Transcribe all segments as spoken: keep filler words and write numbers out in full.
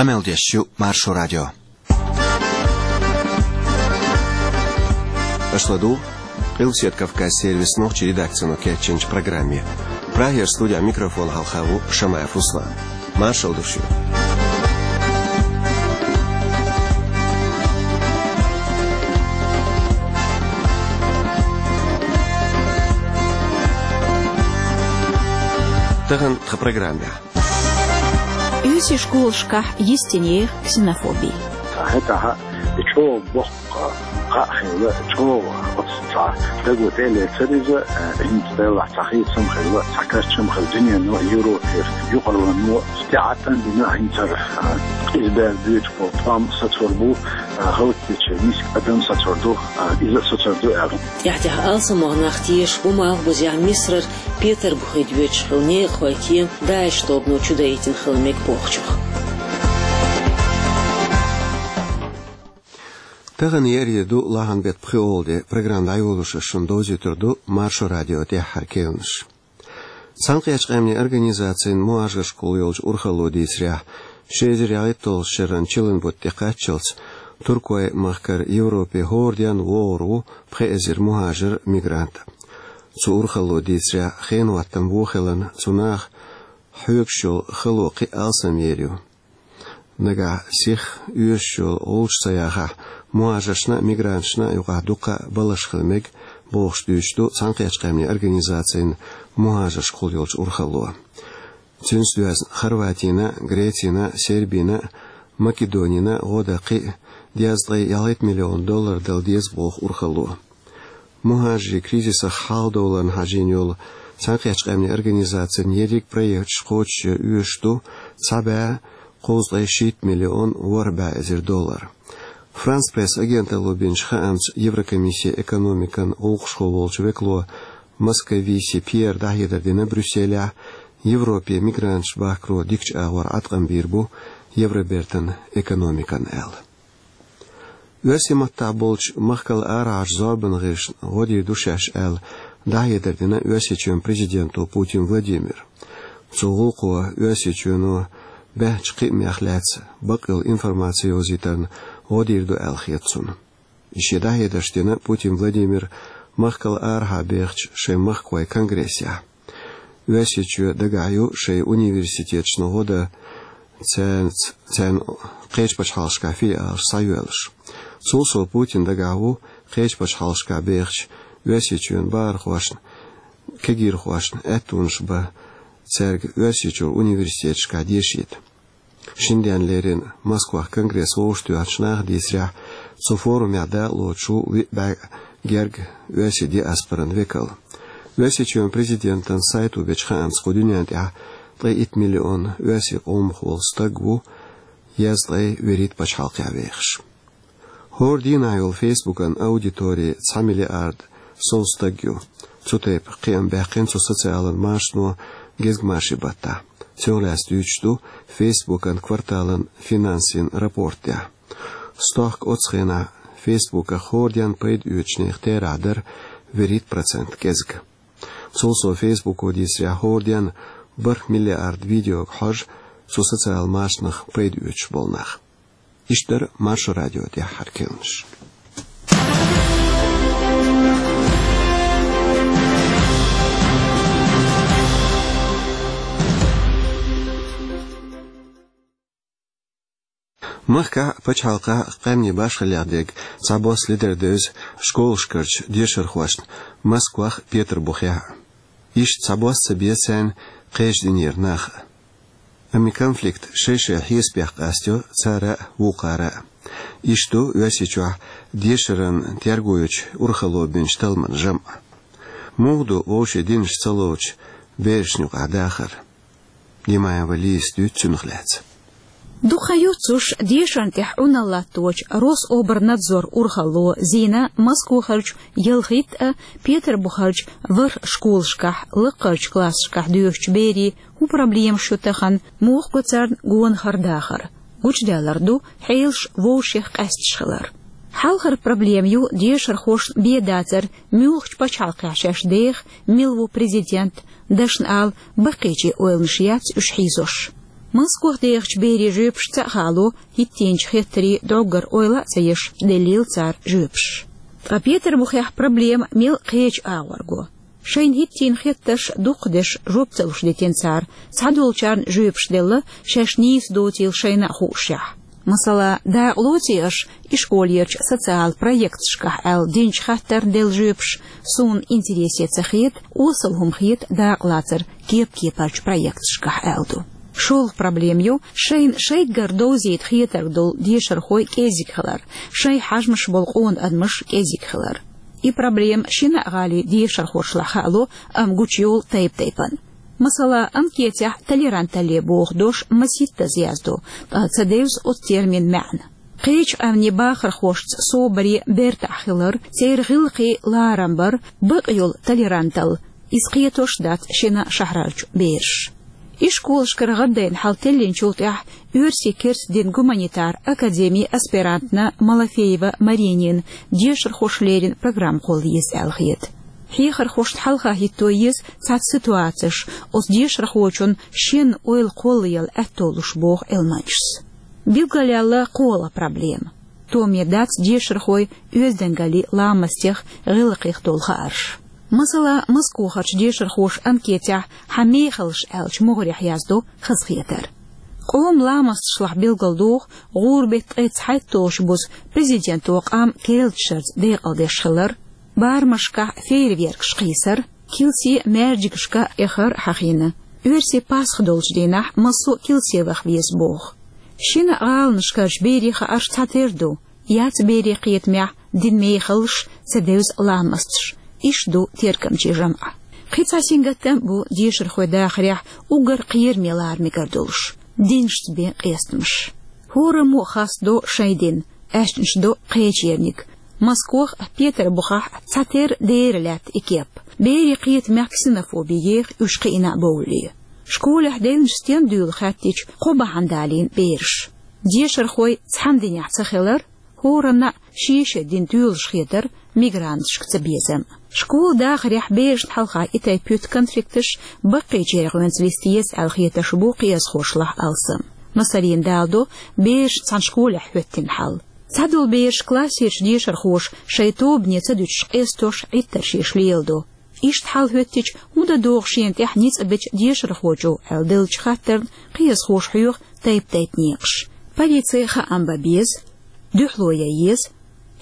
Къамел деш ю Маршо радио. Аша ладугӀу Къилбаседа Кавказан сервисан нохчийн редакцино кечйинчу программе. Прагера студехь микрофон хьалха ву Шамаев Руслан. Маршалла ду шуьга. Тахана тхан программехь. Оьрсийн школашкахь йистинехь ксенофоби. ХӀетахь и чӀогӀа боккха кхаъ хилла, чӀогӀа оцу цхьа даго тӀе а лецира иза, э, хӀинца делахь цхьа хийцам хилла, цхьа кечам хилла дуьнено, Европера, юкъаралло тӀе Ӏаттам бина хӀинцара, э, иза бер буьйцуш болу тӀом сацор бу, э, гӀалатдечу миска адам сацор ду, э, иза а сацор ду аьлла. ТӀаьхь-тӀаьхьа алсамох нах тешаш бу Малхбузехь Мисарара Петарбухе доьдуш хилла некъахойн кема ДАИШ тобано чудаийтина хила мега бохучух. Тахана еарин де ду, лахьан беттан пхоьалгӀа де. Программа дӀайолош ас шуна довзуьйтур ду Маршо радион тӀаьххьара керланаш. Цхьаьнакхеттачу Къаьмнийн Организацин мухӀажаршкахула йолчу урхалло дийцарехь, ши эзар ялхитталгӀачу шеран чиллан бутт тӀекхаччалц Туркойн махкара Европе хӀора денна вогӀур ву пхи эзар мухӀажар, мигрант. Цу урхалло дийцарехь, хенан хӀоттам вон хиларна, цу наха хьоьгуш йолу хало кхин а алсам ер ю. Нагахь сиха оьшуш йолу гӀулч ца яхахь, мухӀажаршна а, мигранташна а юкъахь дуккха а балхаш хила мега, бохуш дуьйцуш ду Цхьаьнакхеттачу Къаьмнийн Организацин мухӀажаршкахула йолчу урхалло. Цуьнца доьзна Хорватина, Грецина, Сербина, Македонина гӀо дан кхин а дезткъе ялхитта миллион доллар дала деза боху урхалло. МухӀажарийн кризисах хьалхадовларна хьажийна йолу Цхьаьнакхеттачу Къаьмнийн Организацин ерриг проекташ кхочушъян оьшуш ду цхьа бӀе кхузткъе шийтта миллион ворхӀ бӀе эзар доллар. Франс Пресс агенталло бинчу хаамца, Еврокомиссин экономикан гӀуллакхашкахула волчу векало Московиси Пьера дӀахьедар дина Брюсселехь, Европе мигранташ бахкаро дикачу агӀор Ӏаткъам бийр бу Евробертан экономикана аьлла. Оьрсийн маттахь болчу махкал арахьарчу зорбанан гӀирсашна гӀо дийр ду шаьш аьлла, дӀахьедар дина Оьрсийчоьнан президенто Путин Владимира. Цу гӀуллакхо Оьрсийчоьно баьхначу кхиамех лаьцна бакъйолу информаци йовзийтарна гӀо дийр ду аьлла хета цунна. И шен дӀахьедарш дина Путин Владимира махкал арахьа бехачу шайн махкахойн конгрессехь. Оьрсийчоь дагахь ю шайн университеташна гӀо дан цаьрца, царна кхечу пачхьалкхашкахь филиалаш схьайоьллуш. Цул сов Путин дагахь ву кхечу пачхьалкхашкахь бехачу Оьрсийчоьнан бахархошна, кегийрхошна аьттонаш бан цаьрга Оьрсийчуьра университеташкахь дешийта. Шина денна леррина Москвахь конгресс вовшахтоьхначу наха дийцарехь, цу форумехь дакъалоцуш ву виъ бӀе герга оьрсийн диаспоран векал. Оьрсийчоьнан президентан сайто бечу хаамца, кху дуьнен тӀехь ткъе итт миллион оьрсийн къомах волу стаг ву, езткъе вуьрхӀитта пачхьалкхехь вехаш. ХӀора дийнахь йолу Фейсбукан аудитори цхьа миллиард сов стаг ю. Цу тайпа кхиам баьккхина цу социалан машано гезгмашин баттахь. Цунах лаьцна дуьйцуш ду Фейсбукан кварталан финансийн рапортехь. Стохка оцу хенахь Фейсбуках хӀора денна пайда оьцучу нехан терахь дара вуьрхӀитта процент кӀезиг. Цул сов Фейсбуко дийцарехь, хӀора денна бархӀ миллиард видеога хьожу цу социалан машанах пайда оьцуш болу нах. Иштта дара Маршо радион тӀаьххьара керланаш. Махкахь а, пачхьалкхахь а къаьмнийн башхаллех дерг цхьабосса ледара девза школашкарчу дешархошна Москвахь а, Петарбухехь а. Иштта цхьабосса ца беза царна кхечу динера нах а. Амма и конфликт шай-шайн хьесапех къастайо цара а, вукхара а. Иштта ду Оьрсийчохь дешаран терго йечу урхалло бинчу талламан жамӀ. Муха ду вовшийн динаш ца ловчу берашна юкъахь дахар? Димаева Лизас дуьйцу цунах лаьцна. Дукха хан ю цуьнан дешарна тӀехь Ӏуналла латточу Рособрнадзор урхалло зийна Москвахарчу ялхитта а, Петарбухарчу ворхӀ школашкахь лакхарчу классашкахь доьшучу берийн хӀун проблемаш ю тахана, муха го царна гонахара дахар. Гучудаьллар ду хьелаш вовшех къаьсташ хилар. Хьалхара проблема ю дешархошна бен дацар, муьлхачу пачхьалкхехь шаьш деха, мила ву президент, дашна ала, баккхийчийн ойланаш яц уьш хьийзош. Москох дехачу берийн жоьпашца а хаало, хӀиттийначу хеттарийн дӀоггара ойла а ца еш, деллийла цара жоьпаш. Ткъа Петарбухехь проблема мел кхечу агӀорго. Шайна хӀиттийна хеттарш дукхахдеш жоп ца луш дитина цара, цхьадолчарна жоьпаш делла, шаьш нийса доцийла шайна а хуушшехь. Масала, дакъа лоций аша и школерчу социал проекташкахь аьлла динчу хаттарна делла жоьпаш, суна интересе ца хета, осал хӀума хета дакъалацар кеп-кепарчу проекташкахь аьлла ду. ШолгӀа проблема ю шайна шайггара довзийта хетарг долу дешархой кӀезиг хилар, шайн хьажамаш болу къона адамаш кӀезиг хилар. И проблема шина а гӀалин дешархошлахь хаало, амма гучуйолу тайп-тайпана. Масала, анкетехь толеранталле боху дош масийттаза яздо, ткъа ца девза оцу термин маьӀна. Кхечу къаьмнийн бахархошца собаре бертахь хилар, церан гӀиллакхе ларам бар, бакъ йолу толеранталла, иза кхетош дац шина шахьарарчу бераша. Ишколашкара гӀаддайна хьал теллинчул тӀаьхьа Оьрсийн керста динан гуманитар академин аспирантна Малафеева Маринина дешархоша леррина программа кхолла еза аьлла хета. Хьехархошна хьалха хӀитто еза цхьацца ситуацеш, оцу дешархочун шен ойла кхоллаяла аьтто луш, боху Ӏилманчас. Билгалъяьлла кхоалгӀа проблема. Томе дац дешархойн оьздангаллин ламастех, гӀиллакхех долу хаарш. Масала, Москохарчу дешархоша анкетехь «Хьан мехаллаш» аьллачу могӀарехь яздо хазахетар. Къоман ламасташлахь билгалдоху гӀуран беттан ткъе цхьайтталгӀачу буза президенто къам керла дашарца декъалдеш хилар, барамашкахь фейерверкаш кхийсар, килсе маьждигашка эхар хьахийна. Оьрсийн Пасха долчу дийнахь массо а килсе ваха веза боху. Шина а гӀаланашкарчу берийн хаарш цхьатера ду: яц берийн кхетамехь динан мехаллаш, ца девза ламасташ. Иштта ду тергамчийн жамӀаш. Кхин цхьа сингаттам а бу дешархойн дахарехь уггар кхераме лара мегар долуш: динашца бен къестамаш. ХӀораммо а хастадо шайн дин, аьшнаш до кхечерниг. Москох а, Петарбухехь а цхьатера дера лаьтта и кеп. Берийн кхетамехь ксенофоби еха уьш кхиъна а бовлле. Школехь девнаш стен дуьйлу хаьттича, кхо бахьана далийна бераш. Дешархой цхьана динехь ца хилар, хӀоранна а шен-шен дин тоьлуш хетар, мигранташка цабезам. Школа дахарехь берашна хьалха и тайпа юьту конфликташ баккхийчеран гӀоьнца листа еза аьлла хеташ бу кхиазхошлахь алсам. Масаллин, даладо бераш цхьана школехь хӀоьттина хьал. Цхьадолу бераш классерчу дешархоша шайн тобане ца дуьтуш къестош, Ӏиттарш еш леладо. Иштта хьал хӀоьттича, хӀун дан догӀу шена тӀехь ницкъ бечу дешархочо аьлла деллачу хаттарна кхиазхоша хьоьху тайп-тайпа некъаш. Полици хаам бан беза, дуьхьало ян еза,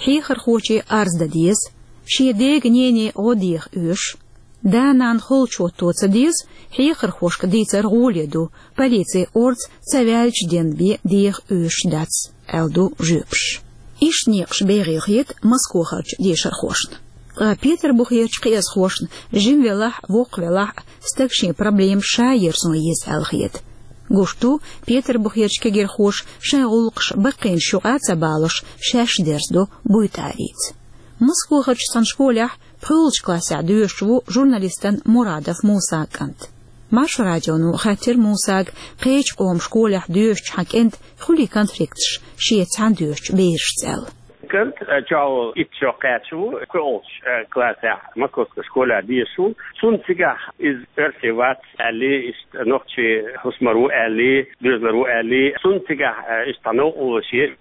хьехархоче арз дан деза, шен дега-нене гӀо деха оьшу, да-нана холчу хӀотто ца деза, хьехархошка дийцар гӀоле ду, полици орца ца ваьлча денбе деха оьшуш дац, аьлла ду жоьпаш. Иштта некъаш бегӀийла хета Москохарчу дешархошна. Ткъа Петарбухерчу кхиазхошна жима велахь а, воккха велахь а, стага шен проблема ша ерзо еза аьлла хета. Гуш ду, Петарбухерчу кегирхоша шайн гӀуллакхаш баккхийнаш юкъа ца балош, шаьш дерзадо буйтӀарийца. Москохарчу цхьана школехь пхоьалгӀачу классехь доьшуш ву журналистан Мурадов Мусан кӀант. Маршо радионо хаьттира Мусага, кхечу къоман школехь доьшучу хьан кӀентан хуьлий конфликташ шеца цхьаьна доьшучу берашца аьлла. КӀант, э, чӀогӀа итт шо кхаьчна ву, кхоьалгӀачу, э, классехь Московской школехь дешаш ву. Цунна цигахь иза оьрси вац аьлла, иштта нохчийн хӀусамара ву аьлла, доьзалара ву аьлла. Цунна цигахь, э, иштта новкъарло еш,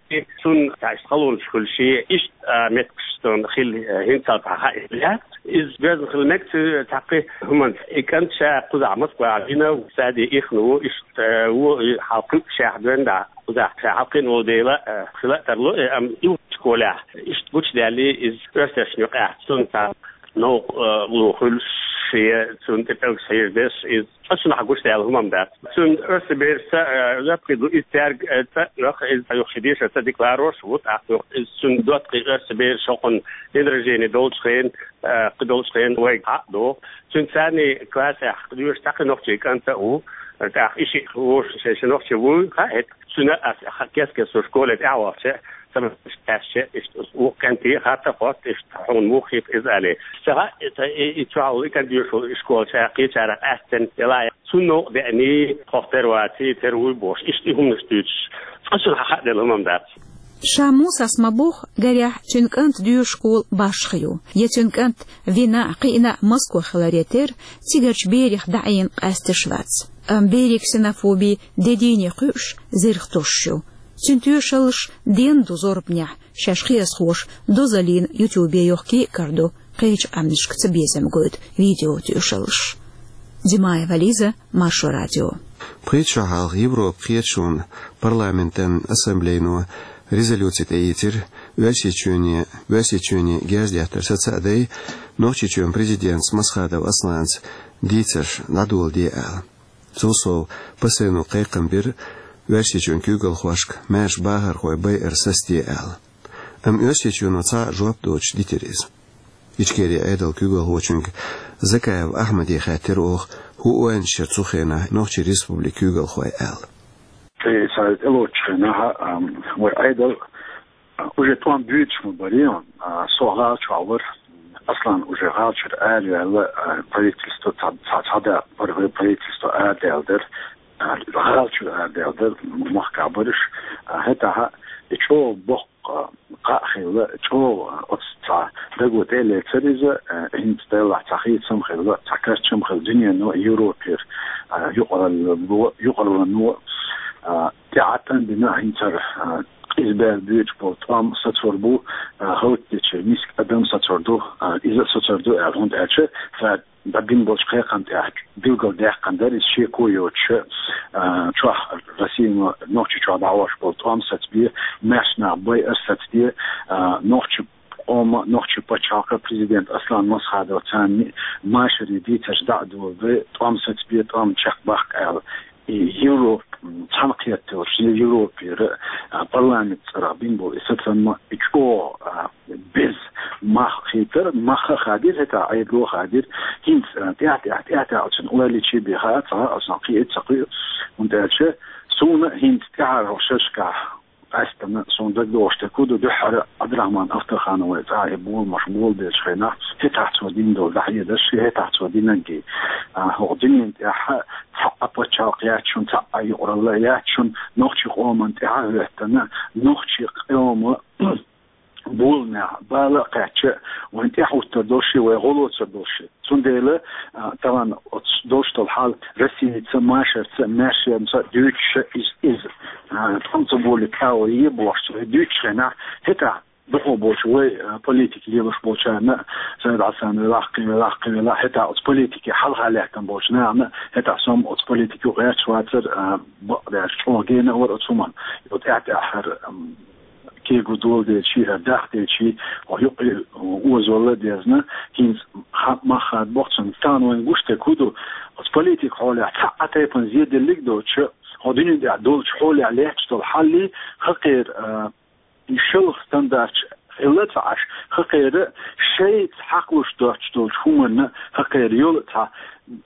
цунна цхьа иштта халонаш хуьлуш, иштта, э, меттигаш цунна хилла, э, хӀинццалц хаийта лаьа. Иза доьзна хила мега цу цхьаккха хӀуманца. И кӀант ша кхузахь Москвахь вина, саде ихна ву, иштта, э, ву, и хьалкхуьу шаьхьа доьнна дӀа. Кхузахь ша хьалкхиъна волу дела, э, хила а тарло, э, амма и школехь иштта гучудаьлла иза оьрсашна юкъахь, цунна цхьа новкъа, э, ло хуьлуш, шен цунна тӀе пӀелгаш хьежадеш, иза цкъачунна хьа гучудаьлла хӀума-м дац. Цуьнан оьрсийн берашца, э, латкхий ду иза цаьрга, э, ца а оьху, иза юха шен дешар ца декларировать ву, тӀаккха юха иза цуьнан доттагӀий оьрсийн бераш хӀокхунна день рождения долчу хенахь, э, кхидолчу хенахь вайга хьа а доху. Цуьнан царний классехь доьшуш цхьа кхин нохчийн кӀант а ву, тӀаккха и шиъ вовшашца шен нохчи вуй, хаьа хӀетахь. Цуьнан ас ха-, кест-кеста школе тӀаьхьавахча, ца мегаш кхаьчча, иштта вукху кӀанте хаттар хотту, иштта хьуна муха хийтта иза аьлла. Ца хаьа, ца и, и чохь и кӀант доьшуш волу школачу кхечарах къаьстина делахь, цунна новкъа деаний, тхох тера ваций, тера вуй бохуш, иштта и хӀуманаш дуьйцуш, цкъачунна хьа хааделла хӀума-м дац. Ша Мусас ма-бохху, гарехь, цуьнан кӀант доьшуш школа башха ю. Я цуьнан кӀант вина а, кхиъна а Москва хиларе терра, цигарчу берех дӀаийна къаьсташ вац. Амма берийн ксенофоби де дийне кхуьуш, зерха тосуш ю. Цуьнан тоьшаллаш денна ду зорбанехь, шаьш кхиазхоша дозаллина ютубе йохкий а карадо, кхечу къаьмнашка цабезам гойту видео тоьшаллаш. Димаева Лиза, Маршо радио. Пхийтта шо хьалха Европа кхеташонан парламентан ассамблейно резолюци тӀеийцира, Оьрсийчоьне, Оьрсийчоьне герз деттар саца а дай, Нохчийчоьнан президентца Масхадов Асланца дийцарш дӀадоладе аьлла. Цул сов, ПСН-о кхайкхам бира Оьрсийчоьнан куьйгалхошка маьрша бахархой байар сацаде аьлла. Амма Оьрсийчоьно цхьа а жоп доцуш дитира иза. Ичкерин Ӏедалан куьйгалхочуьнга Закаев Ахьмаде хаьттира оха, хӀун ойланаш яра цу хенахь Нохчийн Республикан куьйгалхойн аьлла. Тхе сан тӀелоцучу хенахь, ам, вай Ӏедал, а, уже тӀом буьйцуш ма барий, а, со гӀала чохь вара, Аслан уже гӀала чуьра араваьлла, а, правительство, цхьа, цхьа, цхьа да, пар-, правительство арадаьлла дара, а, гӀала чуьра арадаьлла дара, махкахь бараш, а, хӀетахь и чӀогӀа боккха кхаъ хилла, чӀогӀа оцу цхьа даго тӀе а лецира иза, а, хӀинца делахь цхьа хийцам хилла, цхьа карчам хилла дуьнено, Европера, а, юкъаралло, юкъаралло, а, тӀаьхьа тӀан дина хӀинца, а, къиза бер боьдуш болу тӀом сацор бу, а, хӀоттича миска адам сацор ду, а, иза сацор ду аьлла, хӀунда аьлча сан дӀабина болчу кхайкхам тӀехь билгалдаьккхина дара иза шеко йоцуша, а, чохь Россино Нохчийчохь дӀахьош болу тӀом сацабе, маьрша нах байар сацаде, а, нохчи къоман, нохчи пачхьалкхан президент Аслан Масхадов царна машарийн дийцарш дӀа а доладе, тӀом сацабе, тӀом чекхбаккха аьлла. И Европа, м, цхьаьнакхетта йолуш, Европера, а, парламент цӀарах бина болу и сацам и чӀогӀа, а, беза мах хийтара, мах а хадийра, хӀетахь Ӏедало а хадийра. ХӀинца, а, тӀаьхь-тӀаьхьа, тӀаьхь-тӀаьхьа оцунна ойла йича бен хаьа цхьа, оцунах кхин а ца кхуьу, хӀунда аьлча суна хӀинца тӀаьхьара шерашкахь къаьстина, суна дагадогӀуш дерг хӀун ду, дуьххьара Ӏабдурахьман Ахтархановн цӀахь и боламаш болабеллачу хенахь, хӀетахь цо дина долу дӀахьедарш, хӀетахь цо динарг, а, хӀокху дуьнен тӀехь цхьа а пачхьалкх яц шуна, цхьа а юкъаралла яц шуна, нохчийн къоман тӀаьхьа а хӀоьттина, нохчийн къоман боламехь бала а кхаьчча, вайн тӀаьхьахӀуттур долуш, вай гӀо лоцур долуш. Цундела, а, тахана оцу долуш долу хьал Россица, машарца, маьршемца дуьйцуша иза, иза, а, тӀом ца болийта агӀо е бохуш цо дуьйцучу хенахь, хӀетахь дукхах болчу вай, а, политика лелош болчарна, Сайд Хьасан велахь, кхин велахь, кхин велахь, хӀетахь оцу политике хьалха лаьттина болчу нахана, хӀетахь со-м оцу политике гӀерташ вацара, а, бакъдерг чӀогӀа гена а вара оцу хӀуманна. Юха тӀаьхь-тӀаьххьара, ам, кегий доладелчий, хӀара дахделчий, хьо юкъе озалла а дезна, хӀинца ха-, мах хадабо цунна. Тахана вайна гуш дерг хӀун ду, оцу политика хьолехь цхьа а тайпана зеделлиг а доцуша, хьо дуьнен тӀехь долчу хьолехь лаьтташ долу хьаллий, хӀокхеран, а, и шалха стандарташ хилла а ца Ӏаш, хӀокхеран шайца хьакхалуш доцуш долчу хӀуманна, хӀокхеран йолу цхьа,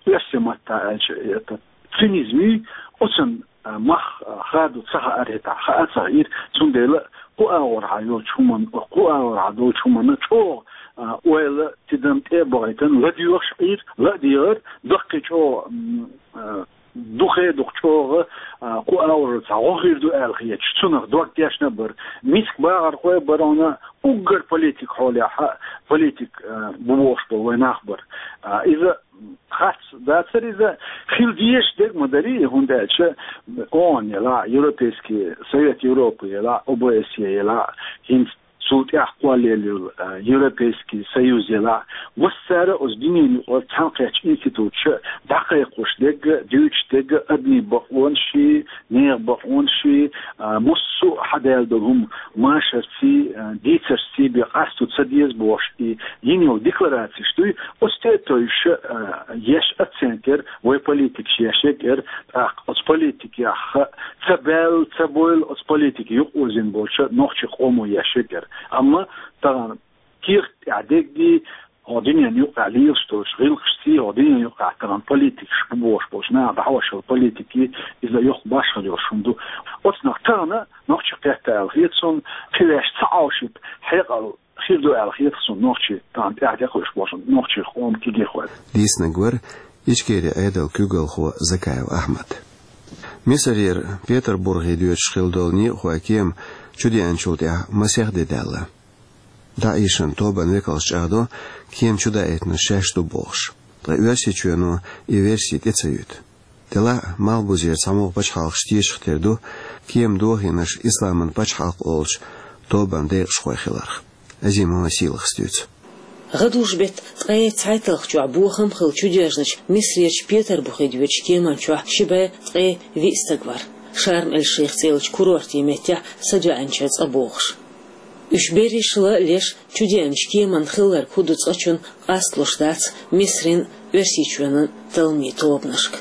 оьрсийн маттахь аьлча, это, цинизмий, оцунна, а, мах, а, хадо ца хаьара хӀетахь, хаа а ца хаьира, цундела кху агӀорхьа йолчу хӀуманна, кху агӀорхьа долчу хӀуманна чӀогӀа, а, ойла, тидам тӀе а бахийтина, ладоьгӀуш Ӏийра, ла а дегӀара, даккхий чӀогӀа, м, а, дукхе а дукха чӀогӀа, а, кху агӀор цхьа гӀо хир ду аьлла хеташ, цунах дог тешна а бара. Миска бахархой а бара хьуна, уггар политика хьолехь, политика, а, бу бохуш болу вайн нах бара. А, иза харц дацара иза, хила дезаш дерг ма дарий, хӀунда аьлча ООН елахь, Европейский Совет Европы елахь, ОБСЕ елахь, хӀинца цул тӀаьхьа кхоллаелла йолу, а, Европейский Союз елахь, массара а оцу дуьненан юкъара цхьаьнакхеттачу институташа дӀакхайкхош дерг а, дуьйцуш дерг а, адамийн бакъонашший, нехан бакъонашший, а, массо а хьадаьлла долу хӀума машарций, а, дийцаршций бен къасто ца деза бохуш, и йина йолу декларацеш дуй, оцу тӀе а тевжаш, а, еш оценка яра, вай политикаша еш ерг а яра, тӀаккха оцу политикех ца баьлла, ца бовла оцу политике юкъаозийна болчу нохчийн къомо еш ерг а яра. Амма тахана кехат тӀехь деггий, хӀокху дуьненан юкъахь лелаш долчу гӀиллакхашций, хӀокху дуьненан юкъахь тахана политикаш бу бохуш болчу наха дӀахьош йолу политикий, иза йоккха башхалла йолуш хӀума ду. Оцунах тахана нохчий кхетта аьлла хета суна, кхин ваьш ца Ӏовшийта хьекъал хир ду аьлла хета суна нохчий тахана тӀаьхьа тӀекхуьуш болчу нохчийн къоман кегийрхой. Дийцинарг вара Ичкерин Ӏедалан куьйгалхо Закаев Ахьмад. Мисарера Петарбурге доьдуш хилла долу некъахойн кема чудеанчул тӀаьхьа масех де даьлла. ДАИШан тобанан векалша чӀагӀдо, кема чудаийтинарш шаьш ду бохуш. Ткъа Оьрсийчоьно и верси тӀе ца юьту. Делахь а Малхбузера цхьамогӀа пачхьалкхаш тешах тера ду кема дохийнарш исламан пачхьалкх олучу тобанан декъашхой хиларх. Азимова Сийлахас дуьйцу. ГӀадужу-беттан ткъе цхьайтталгӀачохь бохам хилла чудоьжначу Мисрерчу Петарбухе доьдучу кеман чохь ши бӀе ткъе виъ стаг вара. Шарм-эль-Шейх цӀе йолчу курортийн меттехь садоьӀначеран цӀа бохуш. Уьш берриш а леш, чудеанчу кеманна хилларг хӀун ду цкъачунна къасталуш дац Мисрин а, Оьрсийчоьнан а талламийн тобанашка.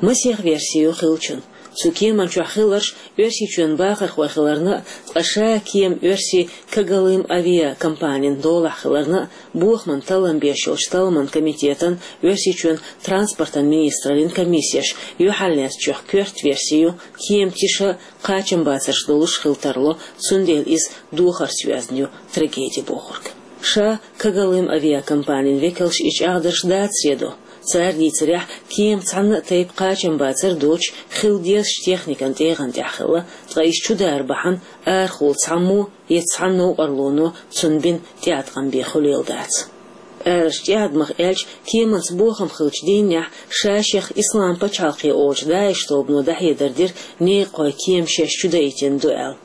Масех верси ю хиллачун. Цу кеман чохь хилларш Оьрсийчоьнан бахархой хиларна а, ткъа ша кема оьрсийн Когалым авиакомпанин долахь хиларна а, бохаман таллам беш йолчу талламан комитетан, Оьрсийчоьнан транспортан министраллин комиссеш юьхьарлаьцначех коьрта верси ю, кема тиша а, кхачамбацарш долуш хила тарло, цундела иза духарца йоьзна ю трагеди бохург. Ша Когалым авиакомпанин векалш и чӀагӀдарш дацаре до. Цара дийцарехь, кема цхьанна а тайпа кхачамбацар доцуш, хила дезачу техникан тӀегӀан тӀехь хилла, ткъа иза чудара бахьана арахула цхьаммо я цхьа новкъарлоно цунна бина тӀеӀаткъам бен хуьлийла дац. Араш тӀеӀадамах аьлча, кеманца бохам хиллачу дийнахь ша-шех Ислам пачхьалкхе олучу ДАИШ тобано дӀахьедар дира некъахой кема шаьш чудаийтина ду аьлла.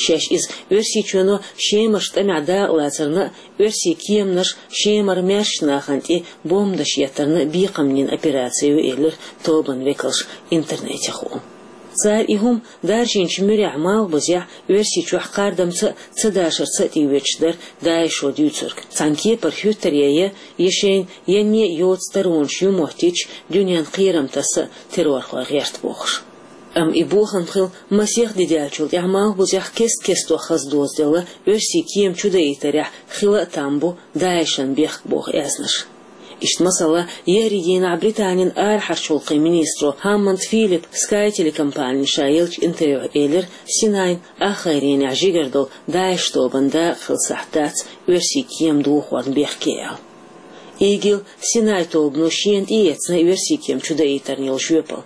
Шаьш иза Оьрсийчоьно Шемарчу тӀамехь дакъалацарна а, оьрсийн кеманаш Шемара маьршачу нахана тӀе бомбанаш еттарна а бекхам йина операци ю, элира тобанан векалша интернетехула. Цара и хӀума даржийначу муьрехь Малхбузехь, Оьрсийчохь кхардамца а, ца дашарца а тӀеоьцуш дара ДАИШо дуьйцург. Цхьана кепара хӀуьттаре я, я шайна янне а йоцу таронаш ю моттийча, дуьненна кхерам таса а террорхой гӀерта бохуш. Амма и бохам хилла масех де даьллачул тӀаьхьа Малхбузехь кест-кестох хаза доцаделла оьрсийн кема чудаийтарехь хила а там бу ДАИШан бехк боху аьзнаш. Иштта, масала, еарин дийнахь Британин арахьарчу гӀуллакхийн министро Хаммонд Филиппа Sky телекомпанина ша еллачу интервьюхь элира, Синайн ахгӀайренехь жигара долу ДАИШ тобанан дакъа хилла сахьт дац оьрсийн кема дохорна бехке аьлла. ИГИЛ Синай тобано шена тӀеэцна оьрсийн кема чудаийтарна йолу жоьпалла.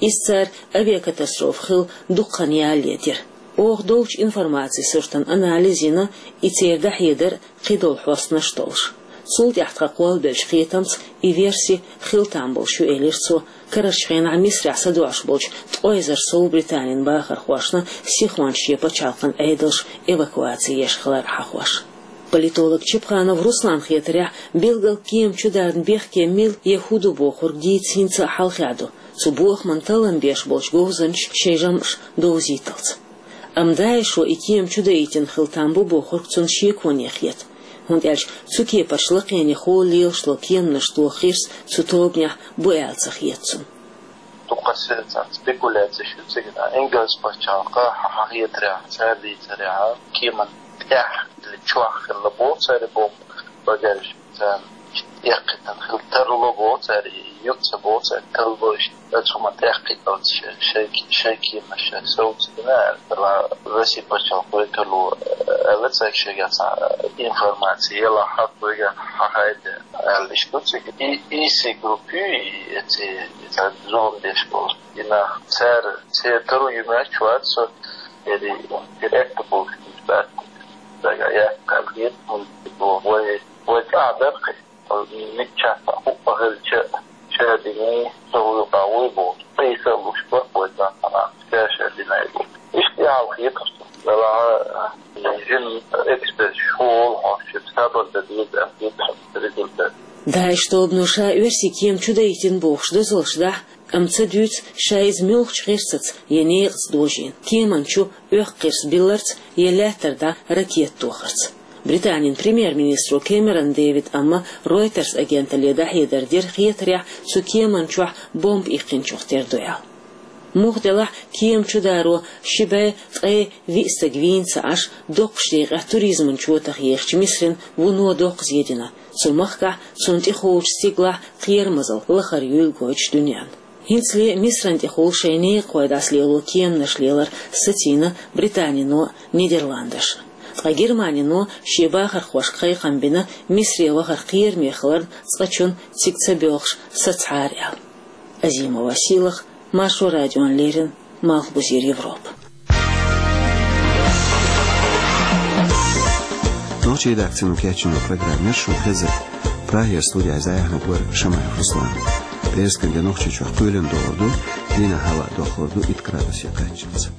Иза цара авиакатастрофа хилла дукха хан ялале дира. Оха долчу информацин суртан анализ йина, и церан дӀахьедар кхидолу хьостанаш а толлуш. Цул тӀаьхьа тхан кхоллабеллачу кхетамца и верси хила там болуш ю, элира цо, карарчу хенахь Мисрехь садоӀуш болчу ткъе эзар сов Британин бахархошна сихонца шен пачхьалкхан Ӏедалш эвакуаци еш хилар хьахош. Политолог Чепханов Русланан хетарехь, билггал кема чударна бехке мила я хӀун ду бохург дийца хӀинца а хьалхе ду, цу бохаман таллам беш болчу говзанчаша шайн жамӀаш довзийталц. Амма ДАИШо и кема чудаийтина хила там бу бохург цунна шеконе хета, хӀунда аьлча цу кепарчу лакхене хӀолла лелаш долу кеманаш тоха хирс цу тобанехь бу аьлла ца хета цунна. Дукха сецна спекуляцеш ю цига, Ингалс пачхьалкха хьахетарехь, цара дийцарехь, кеман тӀехь или чохь хилла боху цара бомба, багаж царна эккхийтина хила тарло боху цара, юьхь ца боху цара, тарло иштта, оцу хӀуманна тӀекхийталц шайн, шайн, шайн кеманаш шайн совцадина аьлла, Росси пачхьалкх векало аьлла цаьрга, шайгахь цхьа информаци елахь, хьакхойга хьахайда аьлла иштта ду цига. И, и си группа ю, и, и, и, и цхьа зулам деш болу. И нах цара, церан таро ю моьттуш вац со, эри директор болуш бац. Дага яккхал хет, вай, вай цӀа дара кхин. Миччахь а хӀуъа хилча, ша дина, со вуй къа вуй бу. Айса луш бакъ вай цӀа хьана, ша, ша дина бу. Иштта ял хеташ, вала, жин эксперт школ хьош, сабар да деза, хеташ, результат. ДАИШ тобано ша оьрсийн кема чудаийтина бохуш доьзалш дахь, амма ца дуьйцу ша иза муьлхачу гӀирсаца я некъаца дожийна, кеман чу оьхкхирс билларца я лаьттара дӀа ракета тохарца. Британин премьер-министро Кэмерон Дэвид амма Reuters агенталле дӀахьедар дира хетарехь, цу кеман чохь бомба иккхинчух тера ду аьлла. Муха делахь кема чударо ши бӀе ткъе виъ стаг вийна ца Ӏаш, доккхачу декъехь туризман чотах ехачу Мисрин вуно доккха зе дина, цу махкахь, цунна тӀехуьлучу стигалахь кхерамазалла лахара юйла гойтуш дуьненна. ХӀинцале Мисран тӀехула шайн некъахой дӀасалело кеманаш лелар сацийна Британино а, Нидерландаш а. Ткъа Германино шен бахархошка кхайкхам бина Мисре вахар кхераме хиларна, цкъачунна цига ца боьлхуш сацахьара аьлла. Азимова Сийлаха, Маршо радиона леррина, Малхбузера Европа. Нохчийн редакцино кечйина программа яра шуна хезира. Прагера студехь зӀе яхьниг вара Шамаев Руслан. ПӀераскан де Нохчийчохь кхоьлина догӀур ду Дийнахьа ава дохурду итт градусе кхаччалца.